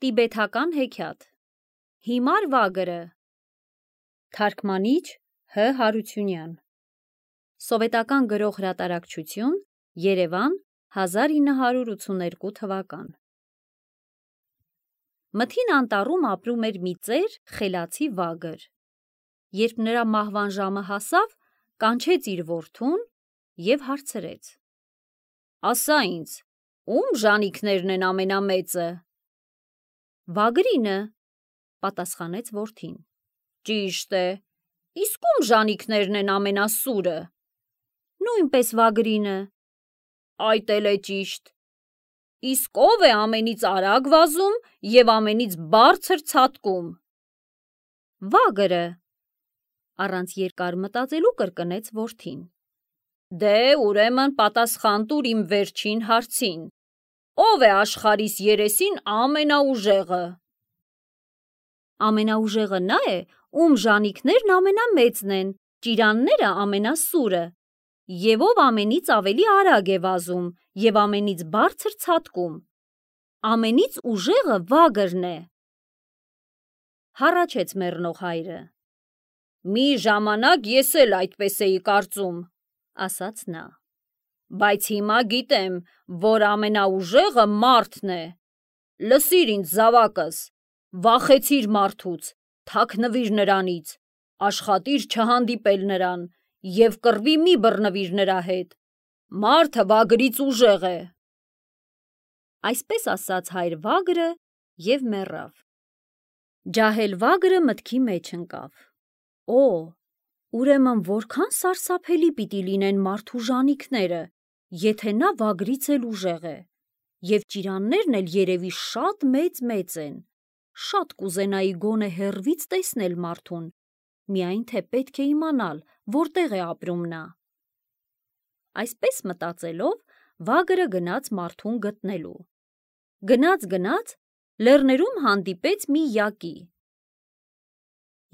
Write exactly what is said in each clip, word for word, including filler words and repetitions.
Տիբեթական հեքիաթ Հիմար վագրը Թարգմանիչ Հ. Հարությունյան Սովետական գրող հրատարակչություն Երևան հազար ինը հարյուր ութսուներկու թվական Մթին անտառում ապրում էր մի ծեր խելացի վագր։ Երբ նրա մահվան ժամը հասավ, կանչեց իր որդուն և հարցրեց. Ասա ինձ, ում ժանիքներն են ամենամեծը։ Վագրինը, պատասխանեց որդին։ Ճիշտ է, իսկ ում ժանիքներն են ամենասուրը։ Նույնպես վագրինը։ Այդ էլ է ճիշտ։ Իսկ ով է ամենից արագ վազում և ամենից բարձր ցատկում։ Վագրը, առանց երկար մտածելու կրկնեց որդին։ Դե ուրեմն պատասխան տուր իմ վերջին հարցին. ով է աշխարհիս երեսին ամենաուժեղը։ Ամենաուժեղը նա է, ում ժանիքներն ամենամեծն են, ճիրանները ամենասուրը, և ով ամենից ավելի արագ է վազում և ամենից բարձր ցատկում։ Ամենից ուժեղը վագրն է։ Հառաչեց մեռնող հայրը։ Մի ժամանակ ես էլ այդպես էի կարծում, ասաց նա, բայց հիմա գիտեմ, որ ամենաուժեղը մարդն է։ Լսիր ինձ զավակս, վախեցիր մարդուց, թաքնվիր նրանից, աշխատիր չհանդիպել նրան և կռվի մի բռնվիր նրա հետ։ Մարդը վագրից ուժեղ է։ Այսպես ասաց հայր վագրը և մեռավ։ Ջահել վագրը մտքի մեջ ընկավ. Օ, ուրեմն որքան սարսափելի պիտի լինեն մարդու ժանիքները, եթե նա վագրից էլ ուժեղ է, և ճիրաններն էլ երևի շատ մեծ-մեծ են, շատ կուզենայի գոնե հեռվից տեսնել մարդուն, միայն թե պետք է իմանալ, որտեղ է ապրում նա։ Այսպես մտածելով, վագրը գնաց մարդուն գտնելու։ Գնաց-գնաց, լեռներում հանդիպեց մի յակի։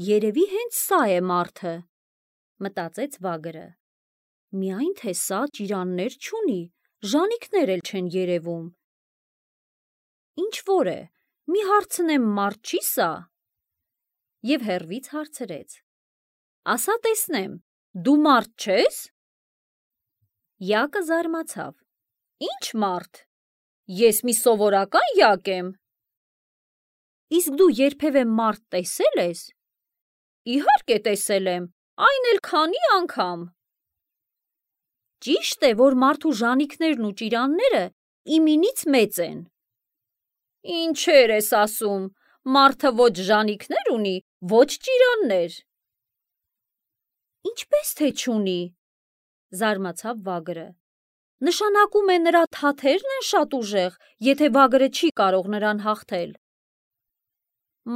Երևի հենց սա է մարդը, մտածեց վագրը, միայն թե սա ճիրաններ չունի, ժանիքներ էլ չեն երևում։ Ինչ-որ է, մի հարցնեմ մարդ չի՞ սա։ Եվ հեռվից հարցրեց. Ասա տեսնեմ, դու մարդ չե՞ս։ Յակը զարմացավ. Ի՞նչ մարդ։ Ես մի սովորական յակ եմ։ Իսկ դու երբևէ մարդ տեսել ես։ Իհարկե տեսել եմ, այն էլ քանի անգամ։ Ճիշտ է, որ մարդու ժանիքներն ու ճիրանները իմինից մեծ են։ Ինչեր ես ասում, մարդը ոչ ժանիքներ ունի, ոչ ճիրաններ։ Ինչպես թե չունի, զարմացավ վագրը։ Նշանակում է նրա թաթերն են շատ ուժեղ, եթե վագրը չի կարող նրան հաղթել։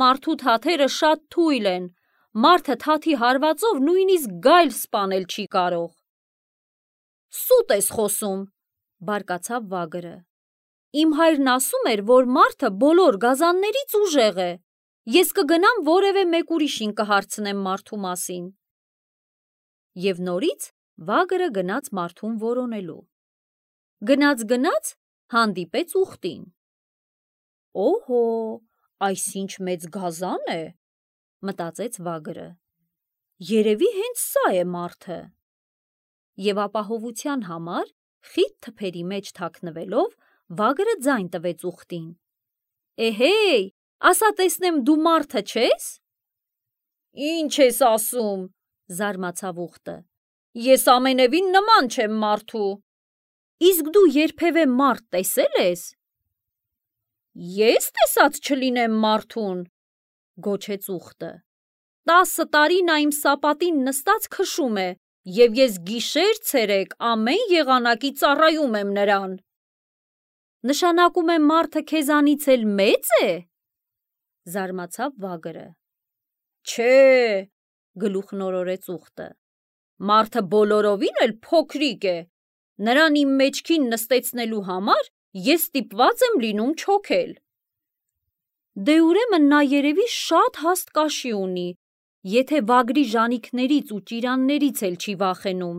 Մարդու թաթերը շատ թույլ են, մարդը թաթի հարվածով նույնիսկ գայլ սպանել չի կարող։ Սուտ ես խոսում, բարկացավ վագրը։ Իմ հայրն ասում էր, որ մարդը բոլոր գազաններից ուժեղ է։ Ես կգնամ որևէ մեկ ուրիշին կհարցնեմ մարդու մասին։ Եվ նորից վագրը գնաց մարդուն որոնելու։ Գնաց-գնաց հանդիպեց ուղտին։ Օհո, այս ինչ մեծ գազան է, մտածեց վագրը։ Երևի հենց սա է մարդը։ Եվ ապահովության համար, խիտ թփերի մեջ թաքնվելով, վագրը ձայն տվեց ուղտին. Էհեյ, ասա տեսնեմ դու մարդը չե՞ս։ Ինչ ես ասում, զարմացավ ուղտը։ Ես ամենևին նման չեմ մարդու։ Իսկ դու երբևէ մարդ տեսել ես։ Ես տեսած չլինեմ մարդուն, գոչեց ուղտը։ Տասը տարի նա իմ սապատին նստած քշում է, և ես գիշեր-ցերեկ ամեն եղանակի ծառայում եմ նրան։ Նշանակում է մարդը քեզանից էլ մեծ է։ Զարմացավ վագրը։ Չէ, գլուխ նորորեց ուղտը։ Մարդը բոլորովին էլ փոքրիկ է։ Նրան իմ մեջքին նստեցնելու համար ես ստիպված եմ լինում չոքել։ Դե ուրեմն նա երևի շատ հաստ կաշի ունի, եթե վագրի ժանիքներից ու ճիրաններից էլ չի վախենում։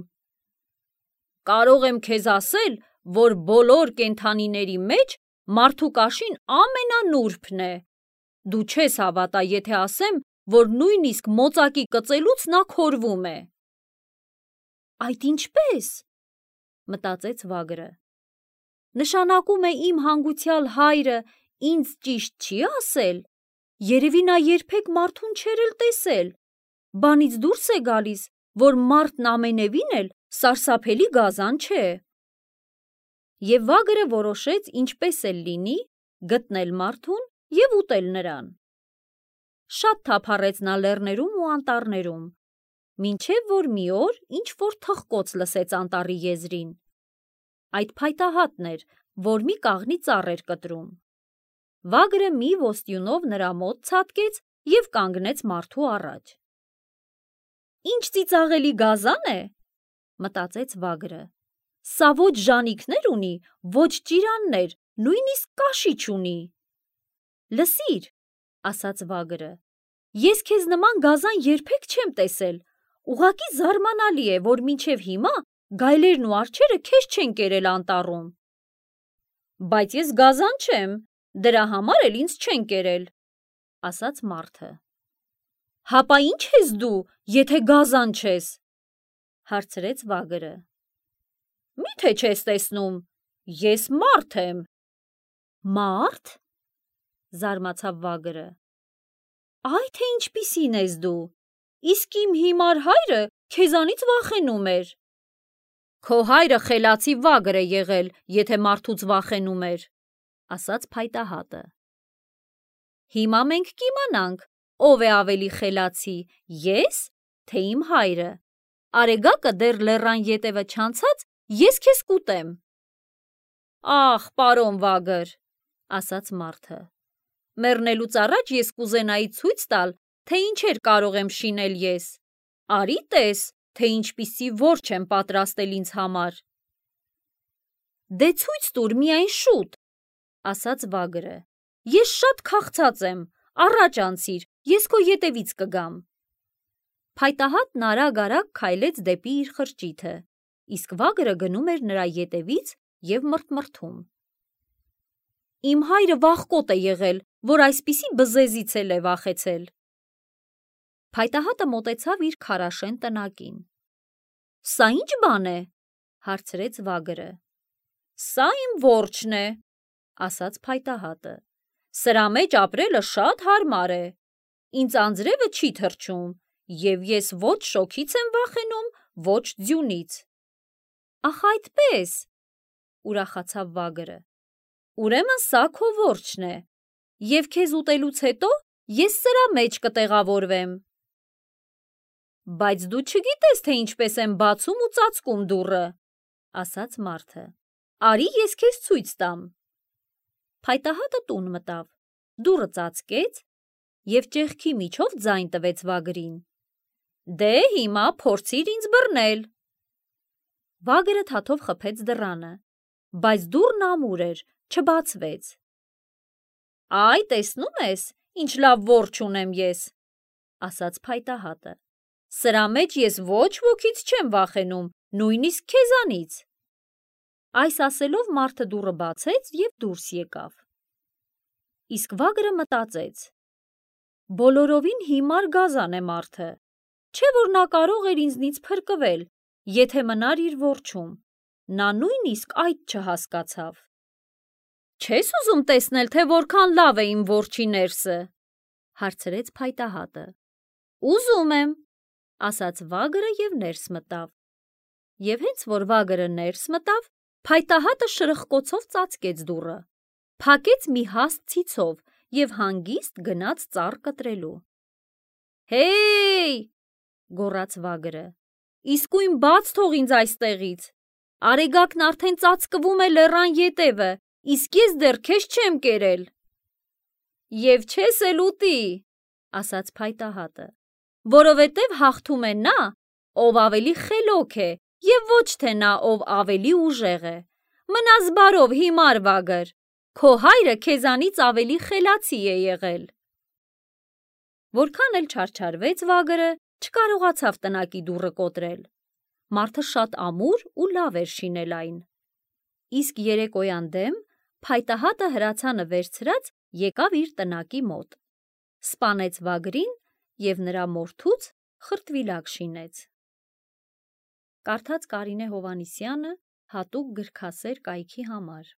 Կարող եմ քեզ ասել, որ բոլոր կենդանիների մեջ մարդու կաշին ամենանուրբն է։ Դու չես հավատա, եթե ասեմ, որ նույնիսկ մոծակի կծելուց նա քորվում է։ Այդ ինչպես, մտածեց Վագրը։ Նշանակում է իմ հանգուցյալ հայրը ինձ ճիշտ չի ասել, երևի նա երբեք մարդուն չէր էլ տեսել, բանից դուրս է գալիս, որ մարդն ամենևին էլ սարսափելի գազան չէ։ Եվ Վագրը որոշեց ինչպես էլ լինի գտնել մարդուն և ուտել նրան։ Շատ թափառեց նա լեռներում ու անտառներում, մինչև որ մի օր ինչ-որ թխկոց լսեց անտառի եզրին։ Այդ փայտահատն էր, որ մի կաղնի ծառ էր կտրում։ Վագրը մի ոստյունով նրա մոտ ցատկեց և կանգնեց մարդու առաջ։ Ինչ ծիծաղելի գազան է, մտածեց Վագրը։ Սա ոչ ժանիքներ ունի, ոչ ճիրաններ, նույնիսկ կաշի չունի։ Լսիր, ասաց Վագրը, ես քեզ նման գազան երբեք չեմ տեսել, ուղղակի զարմանալի է, որ մինչև հիմա գայլերն ու արջերը քեզ չեն կերել անտառում։ Բայց ես գազան չեմ, դրա համար էլ ինձ չեն կերել, ասաց մարդը։ Հապա ինչ ես դու, եթե գազան չես, հարցրեց Վագրը։ Մի՞թե չես տեսնում, ես մարդ եմ։ Մարդ, զարմացավ Վագրը։ Այ թե ինչպիսին ես դու, իսկ իմ հիմար հայրը քեզանից վախենում էր։ Քո հայրը խելացի վագր է եղել, եթե մարդուց վախենում էր, ասաց փայտահատը։ Հիմա մենք կիմանանք, ով է ավելի խելացի, ես, թե իմ հայրը։ Արեգակը դեռ լեռան ետևը չանցած, ես քեզ կուտեմ։ Ախ, պարոն Վագր, ասաց մարդը, մեռնելուց առաջ ես կուզենայի ցույց տալ, թե ինչեր կարող եմ շինել ես։ Արի տես, թե ինչպիսի որջ եմ պատրաստել ինձ համար։ Դե ցույց տուր միայն շուտ, ասաց Վագրը։ Ես շատ քաղցած եմ, առաջ անցիր, ես քո ետևից կգամ։ Փայտահատն արագ-արագ քայլեց դեպի իր խրճիթը, իսկ Վագրը գնում էր նրա ետևից և մռթմռթում։ Իմ հայրը վախկոտ է եղել, որ այսպիսի բզեզից էլ է վախեցել։ Փայտահատը մոտեցավ իր քարաշեն տնակին։ Սա ինչ բան է, հարցրեց Վագրը։ Սա իմ որջն է, ասաց փայտահատը։ Սրա մեջ ապրելը շատ հարմար է։ Ինձ անձրևը չի թռչում, և ես ոչ շոգից եմ վախենում, ոչ ձյունից։ Ախ այդպես, ուրախացավ Վագրը։ Ուրեմն սա քո որջն է, և քեզ ուտելուց հետո ես սրա մեջ կտեղավորվեմ։ Բայց դու չգիտես, թե ինչպես եմ բացում ու ծածկում դուռը, ասաց մարդը։ Արի ես քեզ ցույց տամ։ Փայտահատը տուն մտավ, դուռը ծածկեց և ճեղքի միջով ձայն տվեց Վագրին։ Դե հիմա փորձիր ինձ բռնել։ Վագրը թաթով խփեց դռանը, բայց դուռն ամուր էր, չբացվեց։ Այ տեսնում ես, ինչ լավ որջ ունեմ ես, ասաց փայտահատը։ Սրա մեջ ես ոչ ոքից չեմ վախենում, նույնիսկ քեզանից։ Այս ասելով մարդը դուռը բացեց և դուրս եկավ։ Իսկ Վագրը մտածեց. բոլորովին հիմար գազան է մարդը, չէ որ նա կարող էր ինձնից փրկվել, եթե մնար իր որջում, նա նույնիսկ այդ չհասկացավ։ Չես ուզում տեսնել, թե որքան լավ է իմ որջի ներսը, հարցրեց փայտահատը։ Ուզում եմ, ասաց Վագրը և ներս մտավ։ Եվ հենց որ Վագրը ներս մտավ, փայտահատը շրխկոցով ծածկեց դուռը, փակեց մի հաստ ցիցով և հանգիստ գնաց ծառ կտրելու։ Հեյ, գոռաց Վագրը, իսկույն բաց թող ինձ այստեղից։ Արեգակն արդեն ծածկվում է լեռան ետևը, իսկ ես դեռ քեզ չեմ կերել։ Եվ չես էլ ուտի, ասաց փայտահատը, որովհետև հաղթում է նա, ով ավելի խելոք է, և ոչ թե նա, ով ավելի ուժեղ է։ Մնաս բարով, հիմար Վագր, քո հայրը քեզանից ավելի խելացի է եղել։ Որքան էլ չարչարվեց Վագրը, չկարողացավ տնակի դուռը կոտրել։ Մարդը շատ ամուր ու լավ էր շինել այն։ Իսկ երեկոյան դեմ փայտահատը հրացանը վերցրած եկավ իր տնակի մոտ, սպանեց վագրին և նրա մորթուց խրտվիլակ շինեց։ Կարդաց Կարինե Հովհաննիսյանը հատուկ գրքասեր կայքի համար։